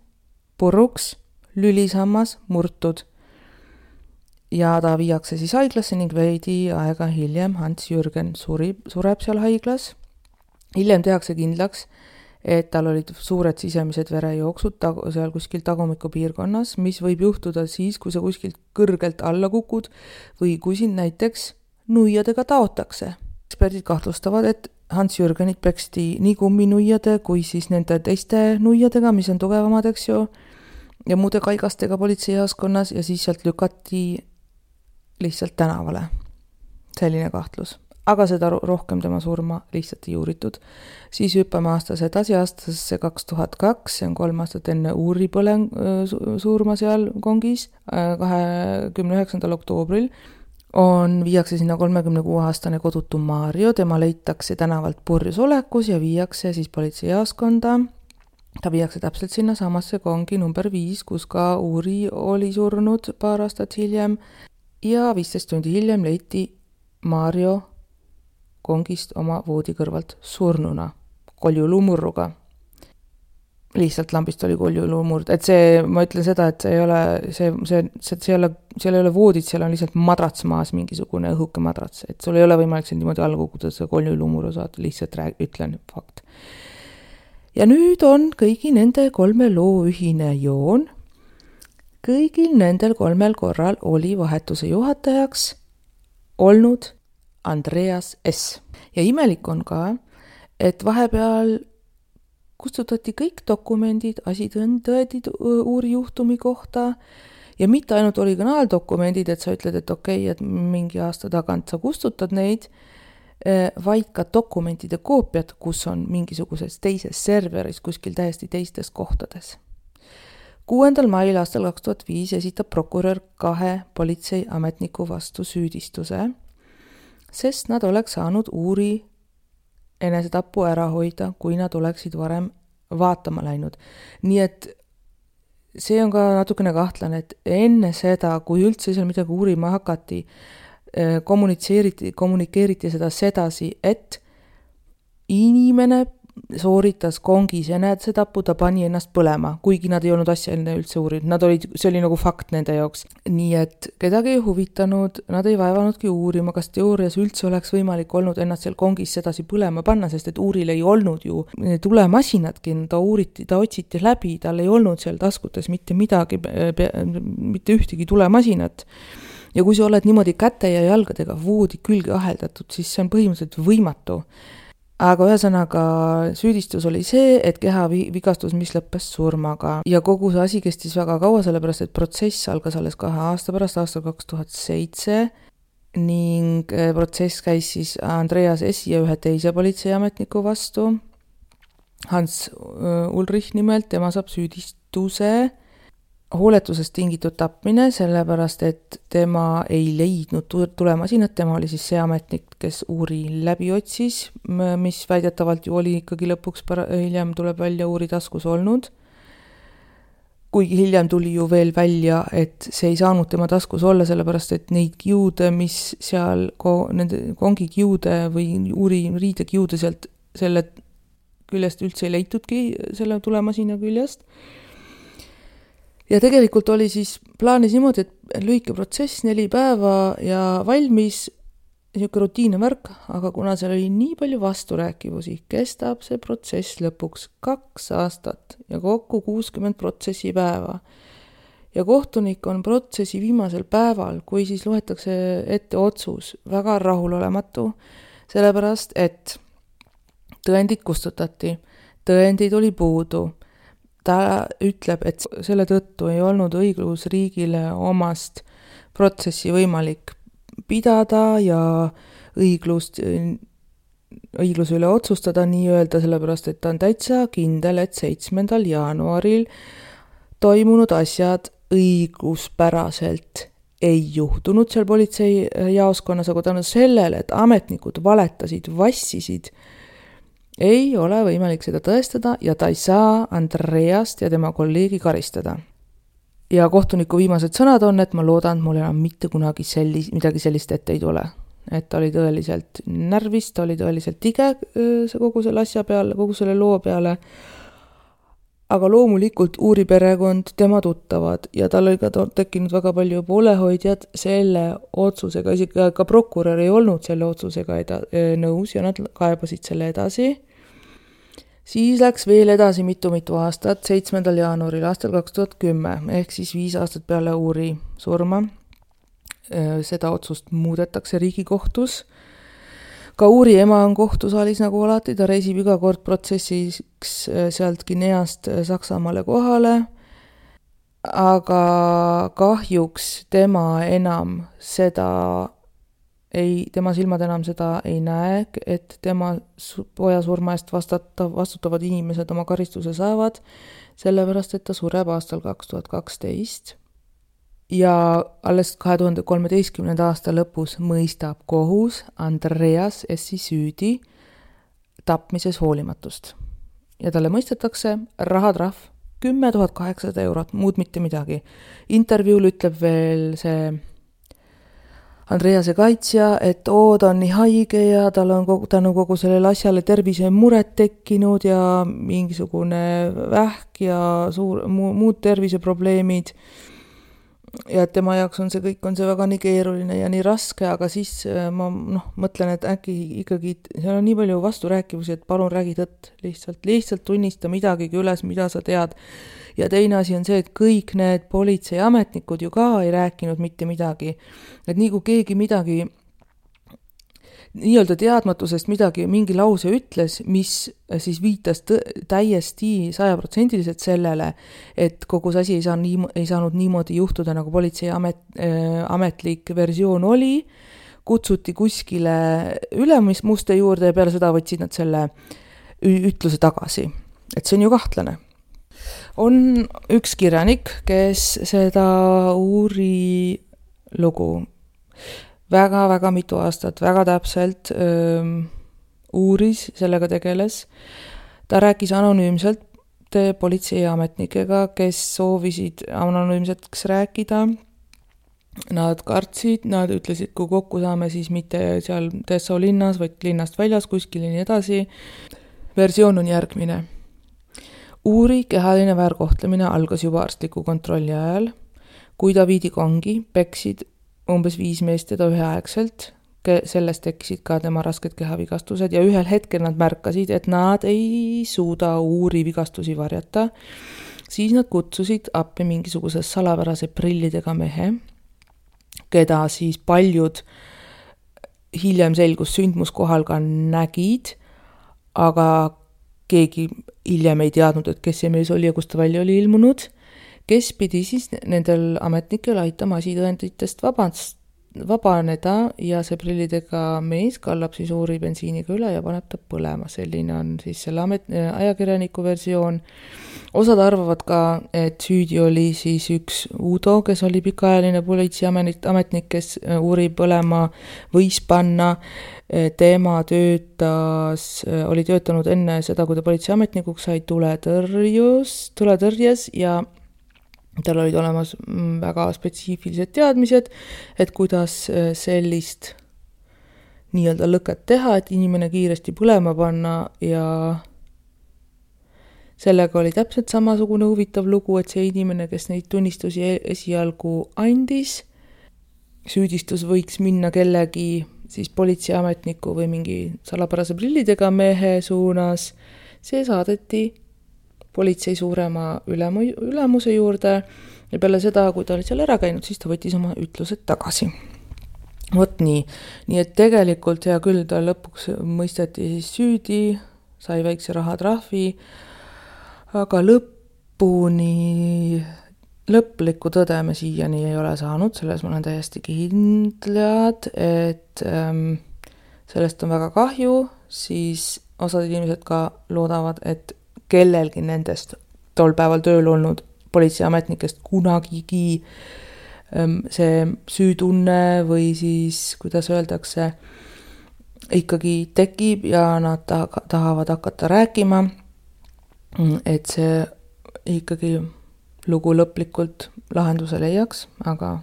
puruks, lülisammas, murtud. Ja ta viiakse siis haiglasse ning veidi aega hiljem Hans Jürgen surib, sureb seal haiglas. Hiljem tehakse kindlaks, et tal olid suured sisemised verejooksud tag- seal kuskil tagumiku piirkonnas, mis võib juhtuda siis, kui sa kuskilt kõrgelt alla kukud või kui sind näiteks nuiadega taotakse. Eksperdid kahtlustavad, et Hans Jürgenit peksti nii kumminuiade kui siis nende teiste nuiadega, mis on tugevamad, eks ju, ja muude kaigastega politseijaoskonnas ja siis sealt lükati lihtsalt tänavale. Selline kahtlus. Aga seda rohkem tema surma lihtsalt ei uuritud. Siis hüppame aastas edasi aastasse kaks tuhat kaks, see on kolm aastat enne Uuri põleng surma seal kongis, kahekümne üheksandal oktoobril. On, viiakse sinna kolmekümne kuue aastane kodutu Mario, tema leitakse tänavalt purjus olekus ja viiakse siis politseijaoskonda. Ta viiakse täpselt sinna samasse kongi number viis, kus ka Uuri oli surnud paar aastat hiljem ja viisteist tundi hiljem leiti Mario kongist oma voodi kõrvalt surnuna, koljulumurruga. Lihtsalt lambist oli koljulumurd, et see, ma ütlen seda, et see ei ole, see, see, see, see ei ole, seal ei ole voodid, seal on lihtsalt madrats maas, mingisugune õhuke madrats, et sul ei ole võimalik siin niimoodi alla kukuda, see koljulumurru saad, lihtsalt rääg, ütlen fakt. Ja nüüd on kõigi nende kolme loo ühine joon. Kõigil nendel kolmel korral oli vahetuse juhatajaks olnud Andreas S. Ja imelik on ka, et vahepeal kustutati kõik dokumendid, asitõendid Uuri juhtumi kohta ja mitte ainult originaaldokumendid, et sa ütled, et okei, et mingi aasta tagant sa kustutad neid, vaid ka dokumentide koopiad, kus on mingisuguses teises serveris kuskil täiesti teistes kohtades. kuuendal mail aastal kaks tuhat viis esitab prokurör kahe politseiametniku vastu süüdistuse, sest nad oleks saanud Uuri enesetapu ära hoida, kui nad oleksid varem vaatama läinud. Nii et see on ka natukene kahtlane, et enne seda, kui üldse seal midagi uurima hakati, kommunitseeriti, kommunikeeriti seda sedasi, et inimene sooritas kongis enesetapu, ta pani ennast põlema, kuigi nad ei olnud asja enne üldse uurinud. Nad olid, see oli nagu fakt nende jaoks. Nii et kedagi ei huvitanud, nad ei vaevanudki uurima, kas teoorias üldse oleks võimalik olnud ennast seal kongis sedasi põlema panna, sest et Uuril ei olnud ju tulemasinadki, ta uuriti, ta otsiti läbi, tal ei olnud seal taskutes mitte midagi, mitte ühtegi tulemasinat. Ja kui sa oled niimoodi käte ja jalgadega voodi külge aheldatud, siis see on põhimõtteliselt võimatu. Aga ühesõnaga süüdistus oli see, et keha vigastus, mis lõppes surmaga. Ja kogu see asi kestis väga kaua, sellepärast, et protsess algas alles kahe aasta pärast, aastal kaks tuhat seitse. ning protsess käis siis Andreas S. ja ühe teise politseiametniku vastu, Hans Ulrich nimelt, tema saab süüdistuse hooletusest tingitud tapmine, sellepärast et tema ei leidnud tulemasinat, tema oli siis see ametnik, kes uuri läbi otsis, mis väidetavalt ju oli ikkagi lõpuks pära, hiljem tuleb välja uuri taskus olnud. Kuigi hiljem tuli ju veel välja, et see ei saanud tema taskus olla, sellepärast et neid kiude, mis seal, nende kongi kiude või uuri riide kiude sealt selle küljest üldse ei leitudki selle tulemasina küljest. Ja tegelikult oli siis plaanis niimoodi, et lühike protsess, neli päeva ja valmis niisugune rutiinne värk, aga kuna seal oli nii palju vasturääkivusi, kestab see protsess lõpuks kaks aastat ja kokku kuuskümmend protsessi päeva. Ja kohtunik on protsessi viimasel päeval, kui siis loetakse ette otsus, väga rahulolematu, sellepärast et tõendid kustutati, tõendid oli puudu. Ta ütleb, et selle tõttu ei olnud õiglusriigile omast protsessi võimalik pidada ja õiglust, õigluse üle otsustada nii-öelda, sellepärast et ta on täitsa kindel, et seitsmendal jaanuaril toimunud asjad õiguspäraselt ei juhtunud seal politsei jaoskonnas, aga tänu sellele, et ametnikud valetasid, vassisid, ei ole võimalik seda tõestada ja ta ei saa Andreast ja tema kolleegi karistada. Ja kohtuniku viimased sõnad on, et ma loodan, et mul enam mitte kunagi sellis, midagi sellist ette ei tule. Et ta oli tõeliselt närvis, ta oli tõeliselt tige kogu selle asja peale, kogu selle loo peale. Aga loomulikult uuri perekond, tema tuttavad ja tal oli ka tekkinud väga palju poolehoidjad selle otsusega, isegi ka prokurör ei olnud selle otsusega eda, nõus ja nad kaebasid selle edasi. Siis läks veel edasi mitu-mitu aastat, seitsmendal jaanuaril aastal kaks tuhat kümme, ehk siis viis aastat peale uuri surma. Seda otsust muudetakse Riigikohtus. Ka uuri ema on kohtusaalis nagu alati, ta reisib iga kord protsessiks sealt Guineast Saksamaale kohale, aga kahjuks tema enam seda ei, tema silmad enam seda ei näe, et tema poja surma eest vastata, vastutavad inimesed oma karistuse saavad, sellepärast et ta sureb aastal kaks tuhat kaksteist. Ja alles kahe tuhande kolmeteistkümnenda aasta lõpus mõistab kohus Andreas S. süüdi tapmises hoolimatust. Ja talle mõistetakse rahatrahv kümme tuhat kaheksasada eurot, muud mitte midagi. Intervjuul ütleb veel see Andrease kaitsja, et oo, ta on nii haige ja tal on kogu, tänu kogu sellele asjale tervise mured tekkinud ja mingisugune vähk ja suur, mu, muud terviseprobleemid. Ja et tema jaoks on see kõik, on see väga nii keeruline ja nii raske, aga siis ma noh, mõtlen, et äkki ikkagi seal on nii palju vasturääkivusi, et palun räägi tõtt, lihtsalt, lihtsalt tunnista midagigi üles, mida sa tead. Ja teine asi on see, et kõik need politseiametnikud ju ka ei rääkinud mitte midagi. Et nii kui keegi midagi nii-öelda teadmatusest midagi, mingi lause ütles, mis siis viitas tõ- täiesti sajaprotsendiliselt sellele, et kogu see asi ei, saa nii, ei saanud niimoodi juhtuda, nagu politsei amet, äh, ametlik versioon oli, kutsuti kuskile ülemuste juurde ja peale seda võtsid nad selle ütluse tagasi. Et see on ju kahtlane. On üks kirjanik, kes seda uuri lugu väga-väga mitu aastat, väga täpselt öö, uuris, sellega tegeles. Ta rääkis anonüümselt politseiametnikega, kes soovisid anonüümseks rääkida. Nad kartsid, nad ütlesid, kui kokku saame, siis mitte seal Dessau linnas, vaid linnast väljas, kuskil nii edasi. Versioon on järgmine. Uuri kehaline väärkohtlemine algas juba arstliku kontrolli ajal. Kui ta viidi kongi, peksid umbes viis meest teda üheaegselt, sellest tekkisid ka tema rasked kehavigastused ja ühel hetkel nad märkasid, et nad ei suuda uuri vigastusi varjata. Siis nad kutsusid appi mingisuguse salapärase prillidega mehe, keda siis paljud hiljem selgus sündmuskohal ka nägid, aga keegi hiljem ei teadnud, et kes see mees oli ja kust ta välja oli ilmunud, kes pidi siis nendel ametnikel aitama asitõenditest vabast, vabaneda ja see prillidega mees kallab siis uuri bensiiniga üle ja paneb ta põlema. Selline on siis selle amet, ajakirjaniku versioon. Osad arvavad ka, et süüdi oli siis üks Udo, kes oli pikaajaline politseiametnik, kes uuri põlema võis panna. Tema töötas, oli töötanud enne seda, kui ta politseiametnikuks sai tuletõrjus, tuletõrjes ja tal olid olemas väga spetsiifilised teadmised, et kuidas sellist nii-öelda lõket teha, et inimene kiiresti põlema panna ja sellega oli täpselt samasugune huvitav lugu, et see inimene, kes neid tunnistusi esialgu andis, süüdistus võiks minna kellegi siis politseiametniku või mingi salapärase prillidega mehe suunas, see saadeti politsei suurema ülemu, ülemuse juurde ja peale seda, kui ta oli seal ära käinud, siis ta võttis oma ütlused tagasi. Vot nii. Nii et tegelikult hea küll, ta lõpuks mõisteti siis süüdi, sai väikse rahatrahvi, aga lõpuni, lõplikku tõde me siiani ei ole saanud, selles ma olen täiesti kindlad, et ähm, sellest on väga kahju, siis osad inimesed ka loodavad, et kellelgi nendest tol päeval tööl olnud politseiametnikest kunagigi ähm, see süütunne või siis, kuidas öeldakse, ikkagi tekib ja nad ta- tahavad hakata rääkima, et see ikkagi lugu lõplikult lahenduse leiaks, aga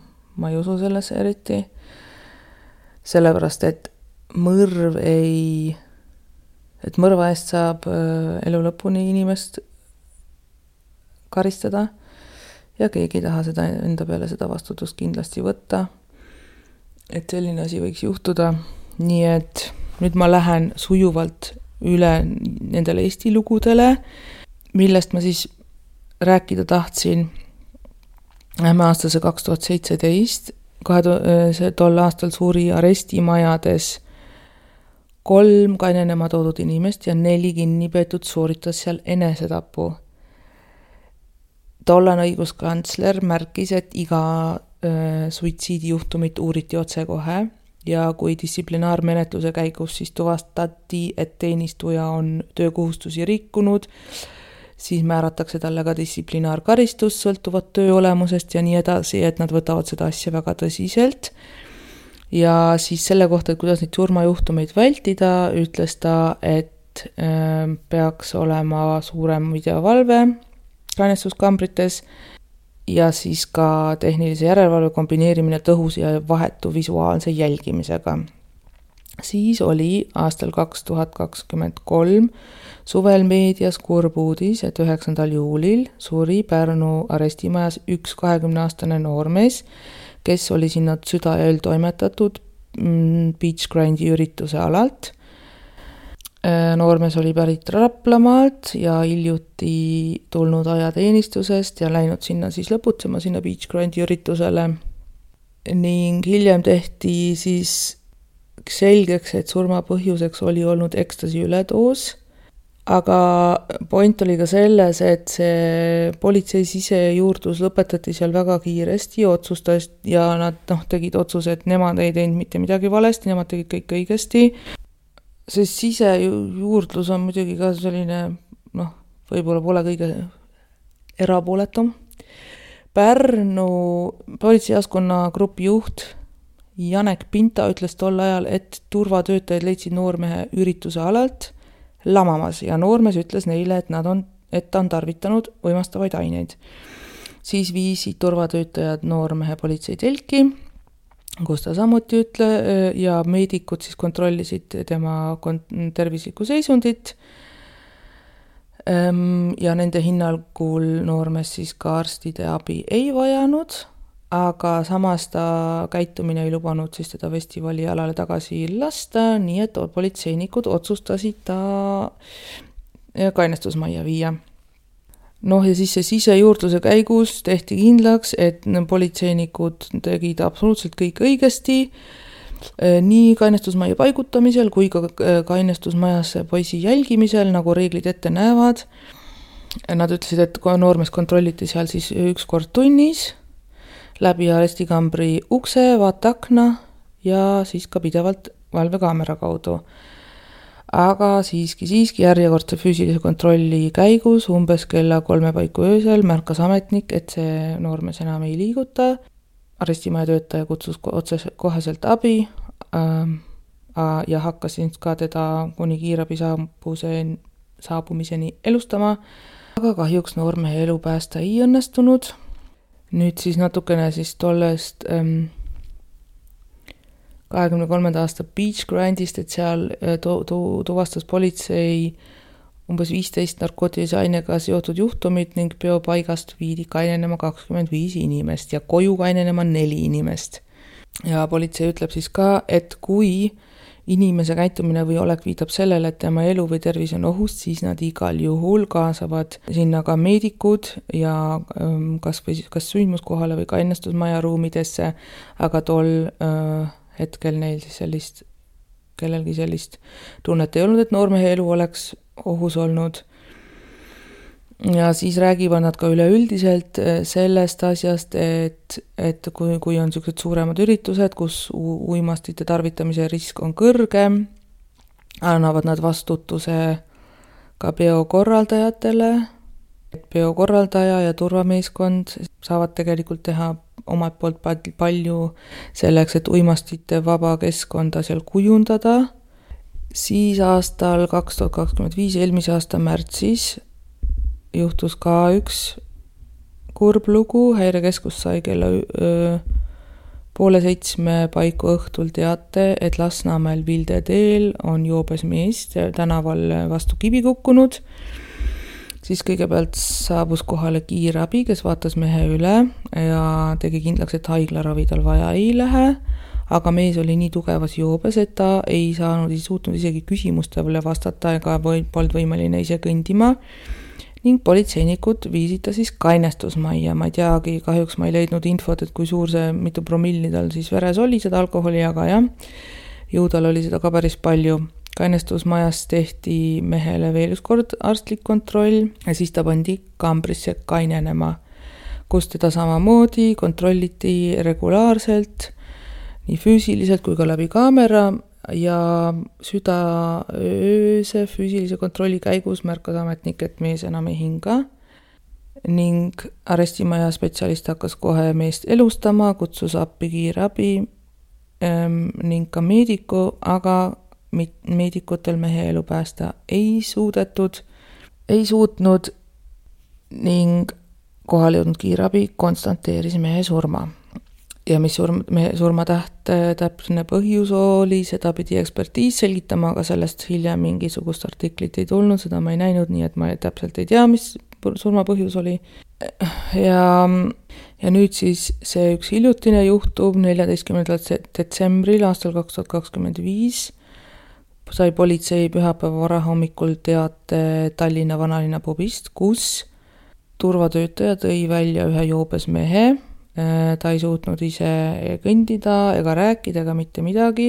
ma ei usu sellesse eriti. Sellepärast, et mõrv ei, et mõrva eest saab elu lõpuni inimest karistada ja keegi ei taha seda enda peale seda vastutust kindlasti võtta. Et selline asi võiks juhtuda. Nii et nüüd ma lähen sujuvalt üle nendele Eesti lugudele, millest ma siis rääkida tahtsin. Lähme aastase kaks tuhat seitseteist, see tol aastal suuri arestimajades kolm kainenema toodud inimest ja neli kinnipeetud sooritas seal enesetapu. Tollane õiguskantsler märkis, et iga äh, suitsiidijuhtumit uuriti otse kohe ja kui distsiplinaarmenetluse käigus siis tuvastati, et teenistuja on töökohustusi rikkunud, siis määratakse talle ka distsiplinaarkaristus sõltuvat töö olemusest ja nii edasi, et nad võtavad seda asja väga tõsiselt. Ja siis selle kohta, et kuidas neid surmajuhtumeid vältida, ütles ta, et äh, peaks olema suurem videovalve kainestuskambrites ja siis ka tehnilise järelevalve kombineerimine tõhus ja vahetu visuaalse jälgimisega. Siis oli aastal kaks tuhat kakskümmend kolm suvel meedias kurb uudis, et üheksandal juulil suri Pärnu arestimajas üks kahekümneaastane noormees, kes oli sinna süda ja öl toimetatud Beach Grindi ürituse alalt. Noormees oli pärit Raplamaalt ja hiljuti tulnud ajateenistusest ja läinud sinna siis lõputsema sinna Beach Grindi üritusele. Ning hiljem tehti siis selgeks, et surma põhjuseks oli olnud ekstasi üledoos. Aga point oli ka selles, et see politsei sisejuurdlus lõpetati seal väga kiiresti otsustas ja nad noh, tegid otsuse, et nemad ei teinud mitte midagi valesti, nemad tegid kõik õigesti. See sisejuurdlus on muidugi ka selline, noh, võib-olla pole kõige erapooletum. Pärnu politseijaskonna grupi juht Janek Pinta ütles tol ajal, et turvatöötajad leidsid noormehe ürituse alalt lamamas ja noormees ütles neile, et nad on, et ta on tarvitanud võimastavaid aineid. Siis viisid turvatöötajad noormehe politseitelki, kus ta samuti ütle ja meedikud siis kontrollisid tema tervislikku seisundit ja nende hinnangul noormees siis ka arstide abi ei vajanud, aga samas ta käitumine ei lubanud siis teda festivali alale tagasi lasta, nii et politseinikud otsustasid ta kainestusmajja viia. Noh ja siis see sisejuurdluse käigus tehti kindlaks, et politseinikud tegid absoluutselt kõik õigesti, nii kainestusmajja paigutamisel kui ka kainestusmajas poisi jälgimisel, nagu reeglid ette näevad. Nad ütlesid, et noormees kontrolliti seal siis üks kord tunnis, läbi arestikambri ukse, vaateakna ja siis ka pidevalt valvekaamera kaudu. Aga siiski, siiski järjekordse füüsilise kontrolli käigus umbes kella kolme paiku öösel märkas ametnik, et see noormees enam ei liiguta. Arestimaja töötaja kutsus otse koheselt abi äh, ja hakkas ka teda kuni kiirabi saabumiseni elustama. Aga kahjuks noormehe elu päästa ei õnnestunud. Nüüd siis natukene siis tollest ähm, kahekümne kolmanda aasta Beach Grandist, et seal tu- tu- tuvastas politsei umbes viisteist narkootilise ainega seotud juhtumit ning peopaigast viidi kainenema kakskümmend viis inimest ja koju kainenema neli inimest. Ja politsei ütleb siis ka, et kui inimese käitumine või olek viitab sellele, et tema elu või tervis on ohust, siis nad igal juhul kaasavad sinna ka meedikud ja kas, või, kas sündmuskohale või kainestusmaja ruumidesse, aga tol äh, hetkel neil siis sellist, kellelgi sellist tunnet ei olnud, et noormehe elu oleks ohus olnud. Ja siis räägivad nad ka üleüldiselt sellest asjast, et, et kui, kui on sellised suuremad üritused, kus uimastite tarvitamise risk on kõrge, annavad nad vastutuse ka peokorraldajatele. Peokorraldaja ja turvameeskond saavad tegelikult teha omalt poolt palju selleks, et uimastite vaba keskkonda seal kujundada. Siis aastal kaks tuhat kakskümmend viis, eelmise aasta märtsis, juhtus ka üks kurb lugu. Häirekeskus sai kella öö, poole seitsme paiku õhtul teate, et Lasnamäel Vilde teel on joobes mees tänaval vastu kivi kukkunud. Siis kõigepealt saabus kohale kiirabi, kes vaatas mehe üle ja tegi kindlaks, et haiglaravi tal vaja ei lähe, aga mees oli nii tugevas joobes, et ta ei saanud, ei suutnud isegi küsimustele vastata ega polnud võimeline ise kõndima. Ning politseinikud viisid ta siis kainestusmajja. Ma ei teagi, kahjuks ma ei leidnud infot, et kui suur see, mitu promilli tal siis veres oli seda alkoholi, aga jah, ju tal oli seda ka päris palju. Kainestusmajas tehti mehele veel üks kord arstlik kontroll ja siis ta pandi kambrisse kainenema, kus teda samamoodi kontrolliti regulaarselt, nii füüsiliselt kui ka läbi kaamera ja südaööse füüsilise kontrolli käigus märkas ametnik, et mees enam ei hinga ning arestimaja spetsialist hakkas kohe meest elustama, kutsus appi kiirabi ähm, ning ka meediku, aga meedikutel mehe elu päästa ei suudetud, ei suutnud ning kohal jõudnud kiirabi konstanteeris mehe surma. Ja mis surma, mehe surmatäht täpne põhjus oli, seda pidi ekspertiis selgitama, aga sellest hiljem mingisugust artiklit ei tulnud, seda ma ei näinud, nii et ma täpselt ei tea, mis surma põhjus oli. Ja, ja nüüd siis see üks hiljutine juhtum neljateistkümnendal detsembril aastal kaks tuhat kakskümmend viis sai politsei pühapäeva varahommikul teate Tallinna vanalinna pubist, kus turvatöötaja tõi välja ühe joobes mehe. Ta ei suutnud ise kõndida ega rääkida ega mitte midagi.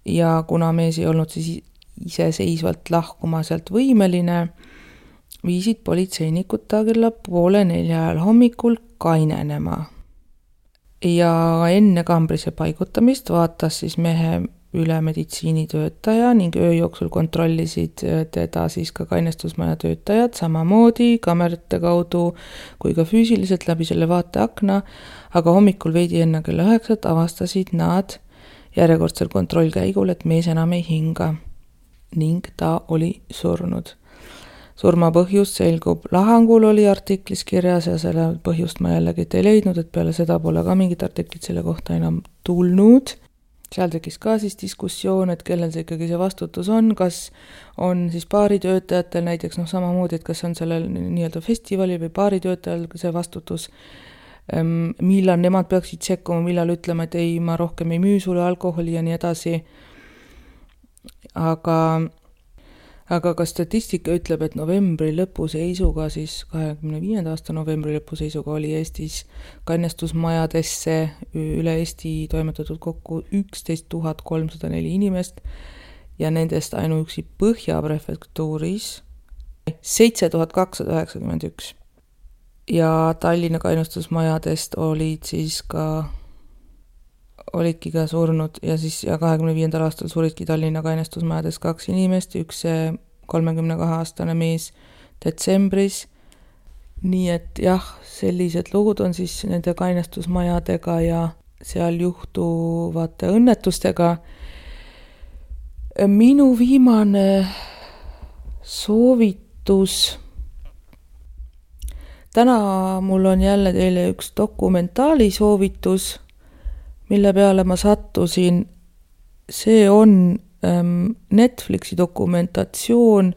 Ja kuna mees ei olnud siis iseseisvalt lahkuma sealt võimeline, viisid politseinikud ta kella poole nelja ajal hommikul kainenema. Ja enne kambrisse paigutamist vaatas siis mehe üle meditsiinitöötaja ning öö jooksul kontrollisid teda siis ka kainestusmaja töötajad samamoodi kamerate kaudu kui ka füüsiliselt läbi selle vaateakna, aga hommikul veidi enne kella üheksat avastasid nad järjekordsel kontrollkäigul, et mees enam ei hinga ning ta oli surnud. Surma põhjust selgub lahangul, oli artiklis kirjas ja selle põhjust ma jällegi ei leidnud, et peale seda pole ka mingit artiklit selle kohta enam tulnud. Seal tekkis ka siis diskussioon, et kellel see ikkagi see vastutus on, kas on siis baaritöötajatel näiteks noh, samamoodi, et kas on sellel nii-öelda festivali või baaritöötajal see vastutus, millal nemad peaksid sekkuma, millal ütlema, et ei, ma rohkem ei müü sulle alkoholi ja nii edasi. Aga, aga ka statistika ütleb, et novembri lõpu seisuga, siis kahekümne viienda aasta novembri lõpu seisuga oli Eestis kainestusmajadesse üle Eesti toimetatud kokku üksteist tuhat kolmsada neli inimest ja nendest ainuüksi Põhja prefektuuris seitse tuhat kakssada üheksakümmend üks. ja Tallinna kainestusmajadest olid siis ka, olidki ka surnud ja siis ja kahekümne viiendal aastal suridki Tallinna kainestusmajades kaks inimest, üks kolmekümne kahe aastane mees detsembris. Nii et jah, sellised lugud on siis nende kainestusmajadega ja seal juhtuvate õnnetustega. Minu viimane soovitus. Täna mul on jälle teile üks dokumentaali soovitus, mille peale ma sattusin. See on ähm, Netflixi dokumentatsioon,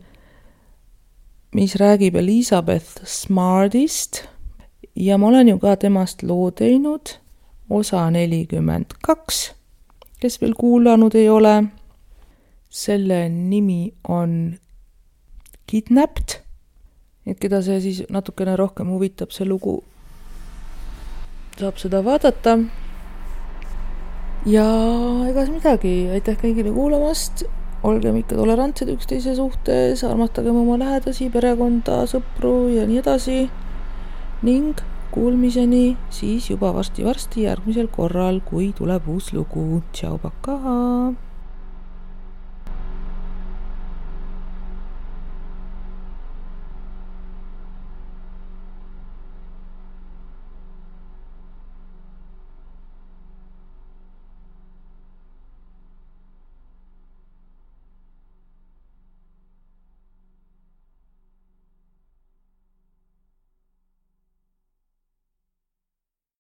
mis räägib Elizabeth Smartist ja ma olen ju ka temast loo teinud, osa nelikümmend kaks, kes veel kuulanud ei ole. Selle nimi on Kidnapped, et keda see siis natukene rohkem huvitab, see lugu, saab seda vaadata. Ja egas midagi, aitäh kõigile kuulamast. Olgem ikka tolerantsed üksteise suhtes, armastagem oma lähedasi, perekonda, sõpru ja nii edasi. Ning kuulmiseni siis juba varsti-varsti järgmisel korral, kui tuleb uus lugu. Tšau, pakaa!